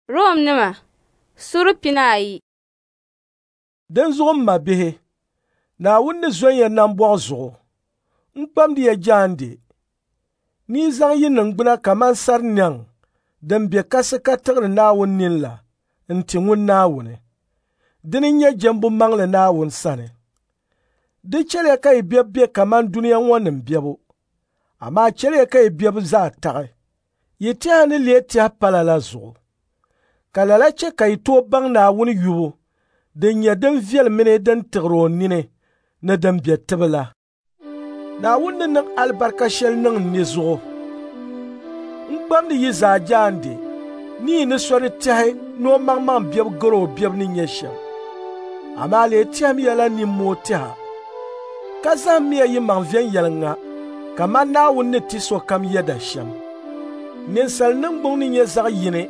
Romnima sura 12. Dinzuɣu m mabihi, Naawuni ni zɔn ya nambɔɣu zuɣu, n kpamdi ya jaande ni yi zaŋ yi niŋgbuna kaman sar nɛŋ din be kasi ka tiɣiri Naawuni nini la n-ti ŋun Naawuni. Dini n-nyɛ jɛmbu maŋli Naawuni sani. Di chɛliya ka yi bebu be kaman dunia ŋɔ nim bebu, amaa chɛliya ka yi bebu zaa taɣi, yi tɛha ni leei tɛhi pala la zuɣu. Ka lala chɛ ka yi tooi baŋ Naawuni yubu din nyɛ din viɛl mini din tiɣir o nini ni din be tibi la. Naawuni ni niŋ alibarika shɛli niŋ n ni zuɣu, n kpamdi yi zaa jaande ni yi ni so di tɛhi ni o maŋmaŋ bebu gar o bebu ni nyɛ shɛm. Amaa lee tɛhimiya la nimmoo tɛha, ka zahimmiya yi maŋ viɛnyɛliŋga kaman Naawuni ni ti sokam yɛda shɛm. Ninsal niŋgbuŋ ni nyɛ zaɣ yini,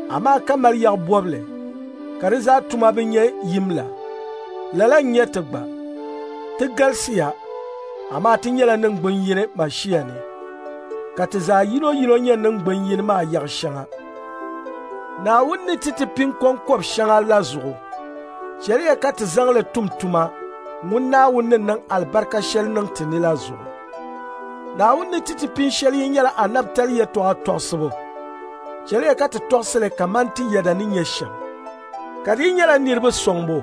amaa ka mali yaɣ bɔbili, ka di zaa tuma bi nyɛ yim la. Lala n-nyɛ ti gba. Ti galisiya, amaa ti nyɛla niŋgbun yini Mashia ni, ka ti zaa yinoyino nyɛ niŋgbun yini maa yaɣ shɛŋa. Naawuni ni ti ti pin kɔŋkɔb shɛŋa la zuɣu, chɛliya ka ti zaŋ li tum tuma ŋun Naawuni ni niŋ alibarika shɛli niŋ ti ni la zuɣu. Naawuni ni ti ti pin shɛli yi nyɛla anabitali yɛtɔɣa tɔɣisibu, chɛliya ka ti tɔɣisi li kaman ti yɛda ni nyɛ shɛm. Ka di yi nyɛla niriba sɔŋbu,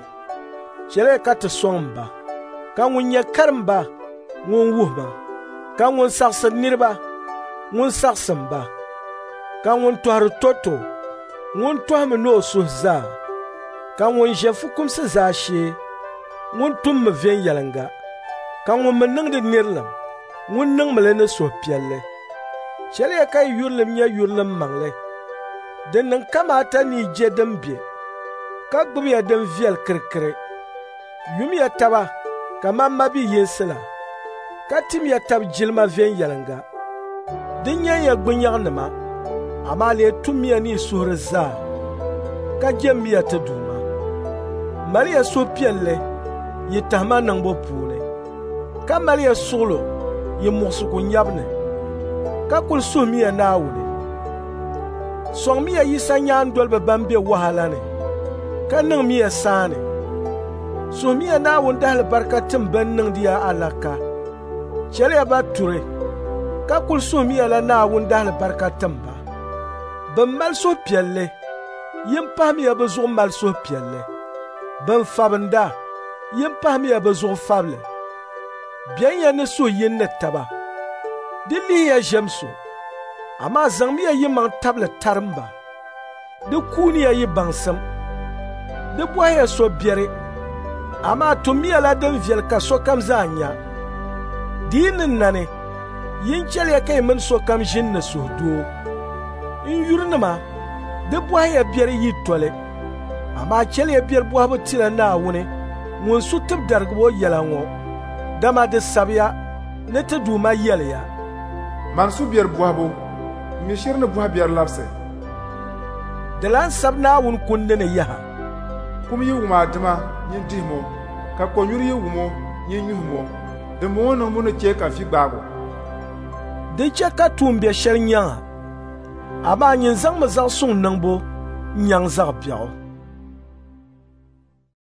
chɛliya ka ti sɔŋ ba. Ka ŋun nyɛ karimba, ŋun wuhi ba. Ka ŋun saɣisiri niriba, ŋun saɣisim ba. Ka ŋun tɔhiri tɔto, ŋun tɔhimi ni o suhu zaa. Ka ŋun ʒe fukumsi zaashee, ŋun tummi viɛnyɛliŋga. Ka ŋun mi niŋdi nirilim, ŋun niŋmi li ni suhupiɛlli. Chɛliya ka yi yurilim nyɛ yurilim maŋli. Di niŋ kamaata ni yi je din be, ka gbibiya din viɛl kirikiri. Yumiya taba kaman mabi yinsi la, ka timiya tab jilima viɛnyɛliŋga. Di nyɛnya gbunyaɣinima, amaa lee tummiya ni yi suhuri zaa, ka jɛmmiya ti Duuma. Maliya suhupiɛlli yi tahima niŋbu puuni, ka maliya suɣilo yi muɣisigu nyabu ni, ka kul suhimiya Naawuni. Sɔŋmiya Yisa nyaandoliba ban be wahala ni, ka niŋmiya saani. Suhimiya Naawuni dahalibarika tim bɛn niŋdi ya alaka. Chɛliya ba turi, ka kul suhimiya la Naawuni dahalibarika tim ba. Bɛn mali suhupiɛlli, yin pahimiya bɛ zuɣu mali suhupiɛlli. Bɛn fabinda, yin pahimiya bɛ zuɣu fabili. Bɛnya ni suhu yini ni taba. Di lihiya ʒiɛm so, amaa zaŋmiya yimaŋ tabili tarimba. Di kuuniya yi baŋsim. Di bɔhiya so biɛri, amaa tummiya la din viɛli ka sokam zaa nya. Di yi ni nani, yin chɛliya ka yi mini sokam ʒini ni suhudoo. N yurinima, di bɔhiya biɛri yi toli, amaa chɛliya biɛri bɔhibu tila Naawuni ŋun su tibidarigibo yɛla ŋɔ, dama di sabiya ni ti Duuma yɛliya, Mani su biɛri bɔhibu, m mi shiri ni bɔhi biɛri labisi. Di lan sabi Naawuni kundi ni yaha, Kum yi wum a dima, nyin dihim o, ka kɔnyuri yi wum o, nyin nyuhim o. Dimbɔŋɔ niŋbu ni chɛ ka vi gbaag o. Di chɛ ka tuumbiɛ shɛli nyaŋ a, amaa nyin zaŋmi zaɣ suŋ niŋbu n-nyaŋ zaɣ biɛɣu.